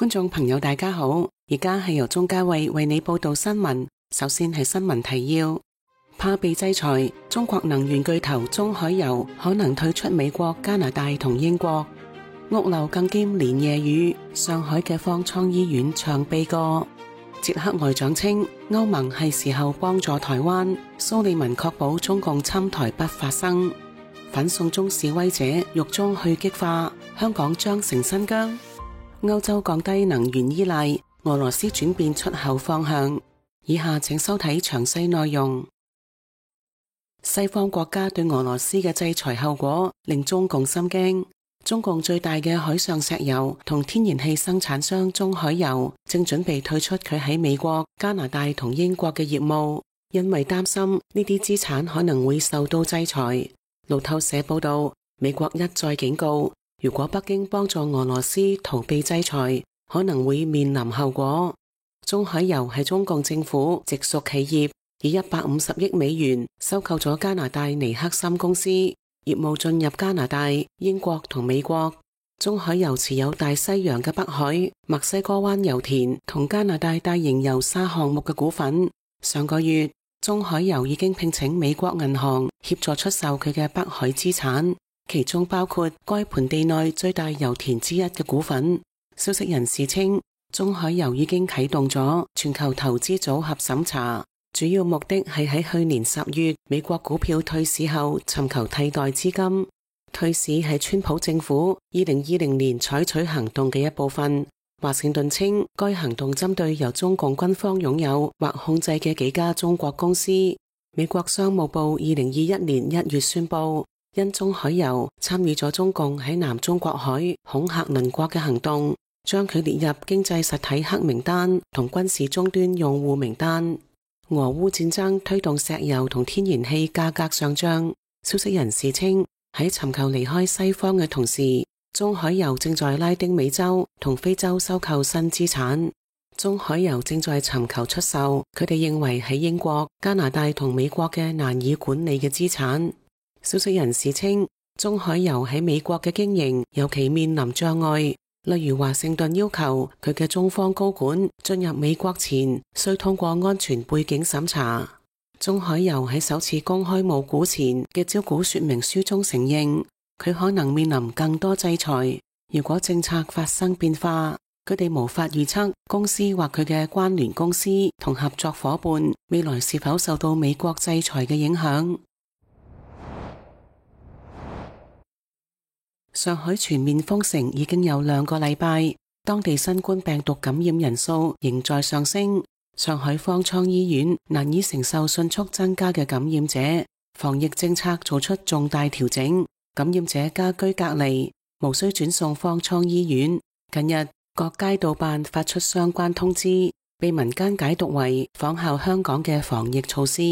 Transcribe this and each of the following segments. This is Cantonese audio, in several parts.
觀眾朋友大家好，而家係由鍾嘉慧為你報道新聞。首先係新聞提要：怕被制裁，中國能源巨頭中海油可能退出美國、加拿大同英國。屋漏更兼連夜雨，上海嘅方艙醫院長備過。捷克外長稱歐盟係時候幫助台灣，蘇利文確保中共侵台不發生。反送中示威者獄中去激化，香港將成新疆。歐洲降低能源依賴，俄羅斯轉變出口方向。以下請收睇詳細內容。西方國家對俄羅斯嘅制裁後果令中共心驚。中共最大嘅海上石油同天然氣生產商中海油正準備退出佢喺美國、加拿大同英國嘅業務，因為擔心呢啲資產可能會受到制裁。路透社報道，美國一再警告，如果北京幫助俄羅斯逃避制裁，可能會面臨後果。中海油係中共政府直屬企業，以150億美元收購咗加拿大尼克森公司，業務進入加拿大、英國同美國。中海油持有大西洋嘅北海、墨西哥灣油田同加拿大大型油砂項目嘅股份。上個月，中海油已經聘請美國銀行協助出售佢嘅北海資產，其中包括該盆地內最大油田之一嘅股份。消息人士稱，中海油已經啟動咗全球投資組合審查，主要目的係喺去年10月美國股票退市後尋求替代資金。退市係川普政府2020年採取行動嘅一部分。華盛頓稱，該行動針對由中共軍方擁有或控制嘅幾家中國公司。美國商務部2021年1月宣布，因中海油參與咗中共喺南中國海恐嚇鄰國嘅行動，將佢列入經濟實體黑名單同軍事終端用戶名單。俄烏戰爭推動石油同天然氣價格上漲。消息人士稱，喺尋求離開西方嘅同時，中海油正在拉丁美洲同非洲收購新資產。中海油正在尋求出售佢哋認為喺英國、加拿大同美國嘅難以管理嘅資產。消息人士稱，中海油喺美國嘅經營尤其面臨障礙。例如華盛頓要求佢嘅中方高管進入美國前需通過安全背景審查。中海油喺首次公開募股前嘅招股說明書中承認，佢可能面臨更多制裁。如果政策發生變化，佢哋無法預測公司或佢嘅關聯公司同合作夥伴未來是否受到美國制裁嘅影響。上海全面封城已經有2個禮拜，當地新冠病毒感染人數仍在上升。上海方艙醫院難以承受迅速增加嘅感染者，防疫政策做出重大調整，感染者家居隔離，無需轉送方艙醫院。近日，各街道辦發出相關通知，被民間解讀為仿效香港嘅防疫措施。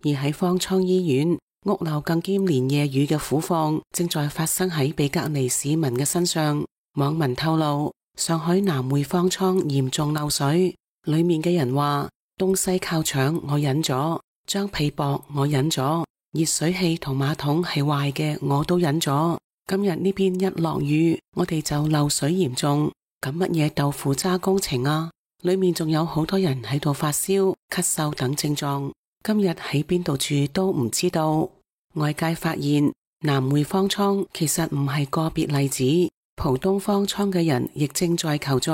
而喺方艙醫院，屋漏更兼連夜雨嘅苦況正在發生喺被隔離市民嘅身上。網民透露，上海南匯方艙嚴重漏水，裏面嘅人話：東西靠牆我忍咗，張被薄我忍咗，熱水器同馬桶係壞嘅我都忍咗。今日呢邊一落雨，我哋就漏水嚴重。咁乜嘢豆腐渣工程啊？裏面仲有好多人喺度發燒、咳嗽等症狀。今日喺邊度住都唔知道。外界發現南匯方艙其實唔係個別例子，浦東方艙嘅人亦正在求助，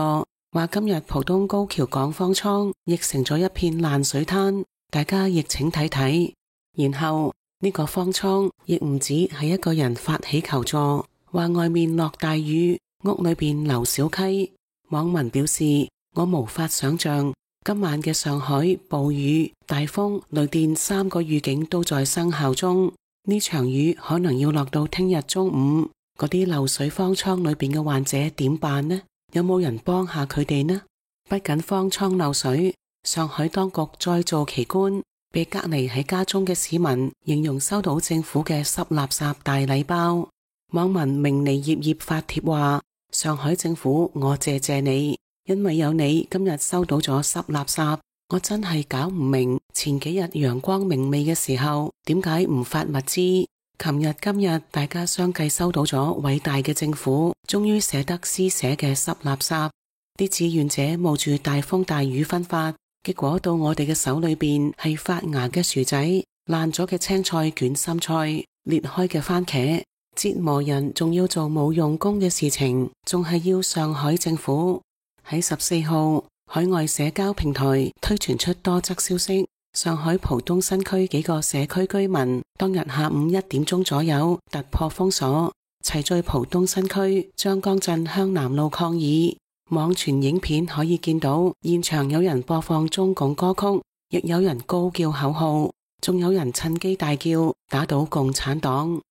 話今日浦東高橋港方艙亦成咗一片爛水灘，大家亦請睇睇。然後呢個方艙亦唔止係一個人發起求助，話外面落大雨，屋裏邊流小溪。網民表示，我無法想象今晚嘅上海暴雨、大風、雷電3個預警都在生效中，呢場雨可能要落到聽日中午，嗰啲漏水方艙裏邊嘅患者點辦呢？有冇人幫下佢哋呢？不僅方艙漏水，上海當局再造奇觀，被隔離喺家中嘅市民形容收到政府嘅濕垃圾大禮包。網民明尼葉葉發帖話：上海政府，我謝謝你。因為有你今日收到咗濕垃圾，我真係搞唔明前幾日陽光明媚嘅時候點解唔發物資。琴日今日大家相繼收到咗偉大嘅政府終於捨得施捨嘅濕垃圾。啲志願者冒住大風大雨分發，結果到我哋嘅手裏邊係發芽嘅薯仔、爛咗嘅青菜卷心菜、裂開嘅番茄。折磨人仲要做冇用功嘅事情，仲係要上海政府喺14號海外社交平台推傳出多則消息。上海浦東新區幾個社區居民當日下午1點鐘左右突破封鎖，齊聚浦東新區張江鎮香南路抗議。網傳影片可以見到現場有人播放中共歌曲，亦有人高叫口號，仲有人趁機大叫打倒共產黨。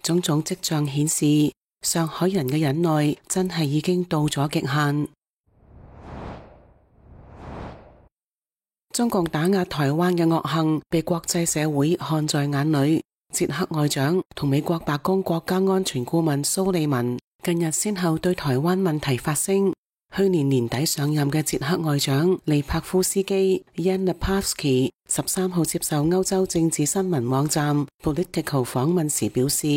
種種跡象顯示，上海人嘅忍耐真係已經到咗極限。中共打壓台灣嘅惡行被國際社會看在眼裏。捷克外長同美國白宮國家安全顧問蘇利文近日先後對台灣問題發聲。去年年底上任嘅捷克外長利帕夫斯基 Jan Lipavsky 13號接受歐洲政治新聞網站 Political 訪問時表示，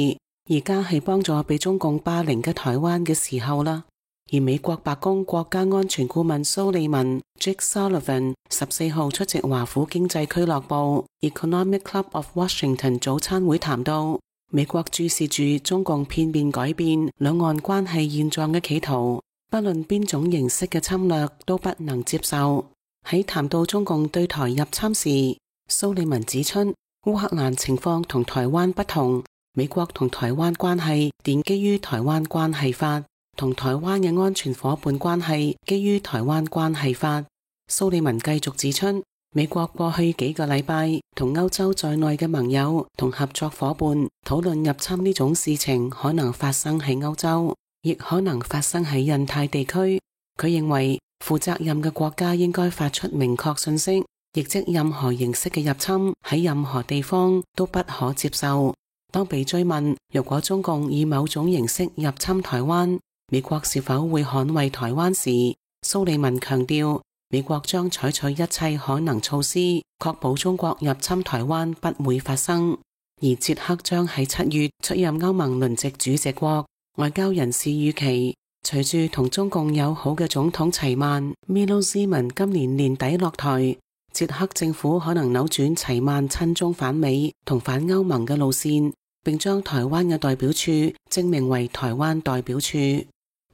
而家係幫助被中共霸凌嘅台灣嘅時候啦。而美國白宮國家安全顧問蘇利文 Jake Sullivan 14號出席華府經濟俱樂部 Economic Club of Washington 早餐會談到，美國注視住中共片面改變兩岸關係現狀嘅企圖，不論邊種形式嘅侵略都不能接受。喺談到中共對台入侵時，蘇利文指出，烏克蘭情況同台灣不同，美國同台灣關係奠基於台灣關係法，同台灣嘅安全夥伴關係基於台灣關係法。蘇利文繼續指出，美國過去幾個禮拜同歐洲在內嘅盟友同合作夥伴討論入侵呢種事情可能發生喺歐洲，亦可能發生喺印太地區。佢認為負責任嘅國家應該發出明確信息，亦即任何形式嘅入侵喺任何地方都不可接受。當被追問如果中共以某種形式入侵台灣，美國是否會捍衛台灣時，蘇利文強調，美國將採取一切可能措施，確保中國入侵台灣不會發生。而捷克將喺7月出任歐盟輪值主席國。外交人士預期，隨住同中共友好嘅總統齊曼 Milo Zeman 今年年底落台，捷克政府可能扭轉齊曼親中反美同反歐盟嘅路線，並將台灣嘅代表處正名為台灣代表處。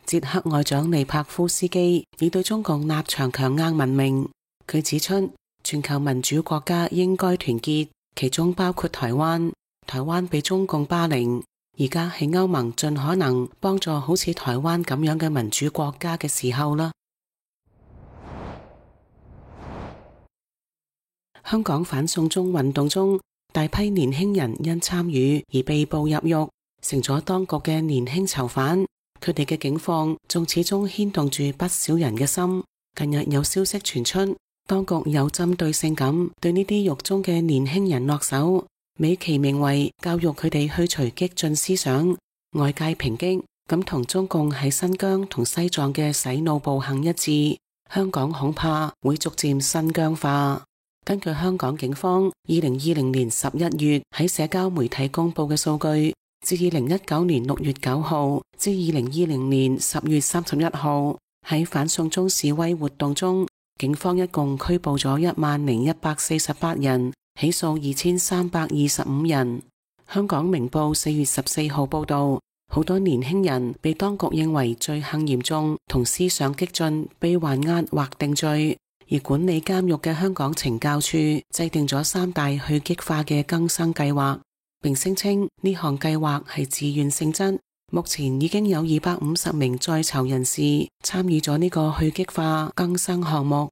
捷克外長利帕夫斯基以對中共立場強硬聞名。佢指出，全球民主國家應該團結，其中包括台灣。台灣被中共霸凌，而家喺歐盟盡可能幫助好似台灣咁樣嘅民主國家嘅時候啦。香港反送中運動中，大批年輕人因參與而被捕入獄，成咗當局嘅年輕囚犯。佢哋嘅境況仲始終牽動住不少人嘅心。近日有消息傳出，當局有針對性咁對呢啲獄中嘅年輕人落手，美其名為教育佢哋去除激進思想。外界抨擊咁同中共喺新疆同西藏嘅洗腦暴行一致，香港恐怕會逐漸新疆化。根據香港警方2020年11月喺社交媒體公布嘅數據，自2019年6月9號至2020年10月31號，喺反送中示威活動中，警方一共拘捕咗10,148人，起訴2325人。香港明報4月14號報道，好多年輕人被當局認為罪行嚴重同思想激進，被還押或定罪。而管理監獄嘅香港懲教處制定咗3大去激化嘅更生計劃，並聲稱呢項計劃係自願性質。目前已經有250名在囚人士參與咗呢個去激化更生項目。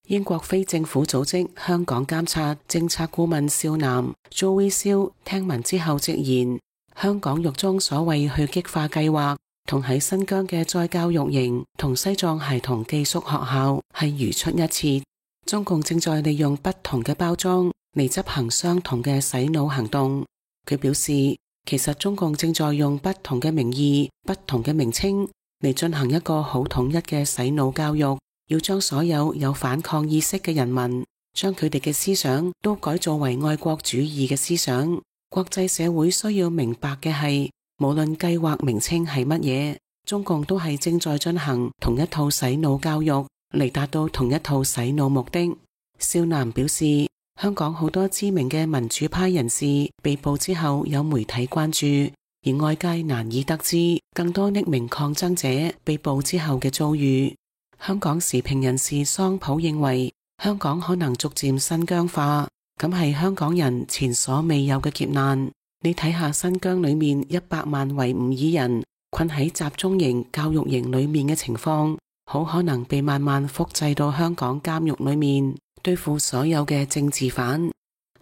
英國非政府組織香港監察政策顧問少南 Joey Seal 聽聞之後直言，香港獄中所謂去激化計劃同喺新疆嘅再教育營同西藏孩童寄宿學校係如出一轍。中共正在利用不同嘅包裝嚟執行相同嘅洗腦行動。佢表示，其實中共正在用不同嘅名義、不同嘅名稱嚟進行一個好統一嘅洗腦教育，要將所有有反抗意識嘅人民，將佢哋嘅思想都改造為愛國主義嘅思想。國際社會需要明白嘅係，無論計劃名稱係乜嘢，中共都係正在進行同一套洗腦教育嚟達到同一套洗腦目的。少南表示，香港好多知名嘅民主派人士被捕之後有媒體關注，而外界難以得知更多匿名抗爭者被捕之後嘅遭遇。香港時評人士桑普認為，香港可能逐漸新疆化，咁係香港人前所未有嘅劫難。你睇下新疆裏面100萬維吾爾人困喺集中營、教育營裏面嘅情況，好可能被慢慢複製到香港監獄裏面，對付所有嘅政治犯。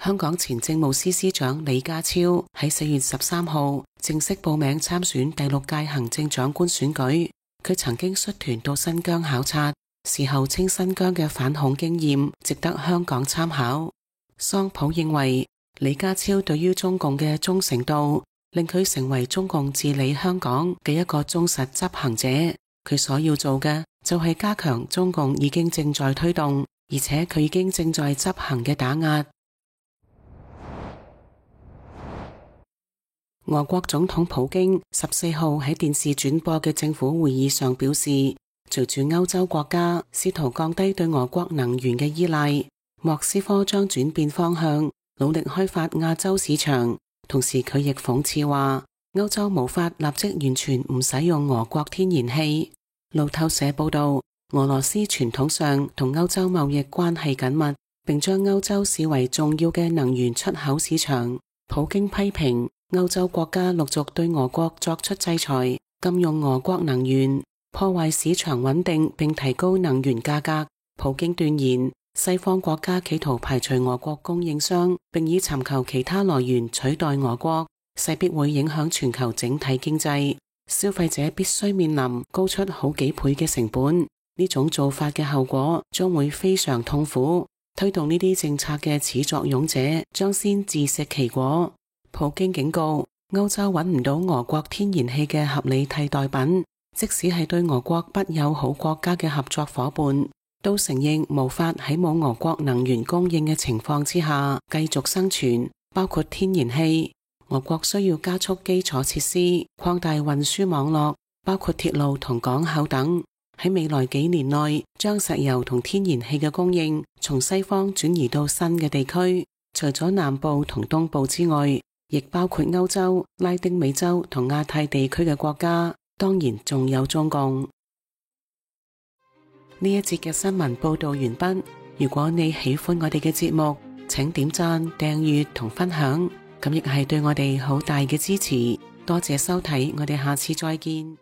香港前政務司司長李家超喺4月13號正式報名參選第6屆行政長官選舉。佢曾經率團到新疆考察，事後稱新疆嘅反恐經驗值得香港參考。桑普認為，李家超對於中共嘅忠誠度，令佢成為中共治理香港嘅一個忠實執行者。佢所要做嘅就係加強中共已經正在推動，而且佢已經正在執行嘅打壓。俄國總統普京14號喺電視轉播嘅政府會議上表示，隨住歐洲國家試圖降低對俄國能源嘅依賴，莫斯科將轉變方向，努力開發亞洲市場。同時佢亦諷刺話，歐洲無法立即完全唔使用俄國天然氣。路透社報道，俄羅斯傳統上同歐洲貿易關係緊密，並將歐洲視為重要嘅能源出口市場。普京批評歐洲國家陸續對俄國作出制裁，禁用俄國能源，破壞市場穩定並提高能源價格。普京斷言，西方國家企圖排除俄國供應商，並以尋求其他來源取代俄國，勢必會影響全球整體經濟。消費者必須面臨高出好幾倍嘅成本，呢種做法嘅後果將會非常痛苦。推動呢啲政策嘅始作俑者將先自食其果。普京警告，歐洲揾唔到俄國天然氣嘅合理替代品，即使係對俄國不友好國家嘅合作夥伴，都承認無法喺冇俄國能源供應嘅情況之下繼續生存，包括天然氣。俄國需要加速基礎設施，擴大運輸網絡，包括鐵路同港口等。喺未來幾年內，將石油同天然氣嘅供應從西方轉移到新嘅地區，除咗南部同東部之外，亦包括歐洲、拉丁美洲同亞太地區嘅國家，當然仲有中共。呢一節嘅新聞報道完畢。如果你喜歡我哋嘅節目，請點讚、訂閱同分享，咁亦係對我哋好大嘅支持。多謝收睇，我哋下次再見。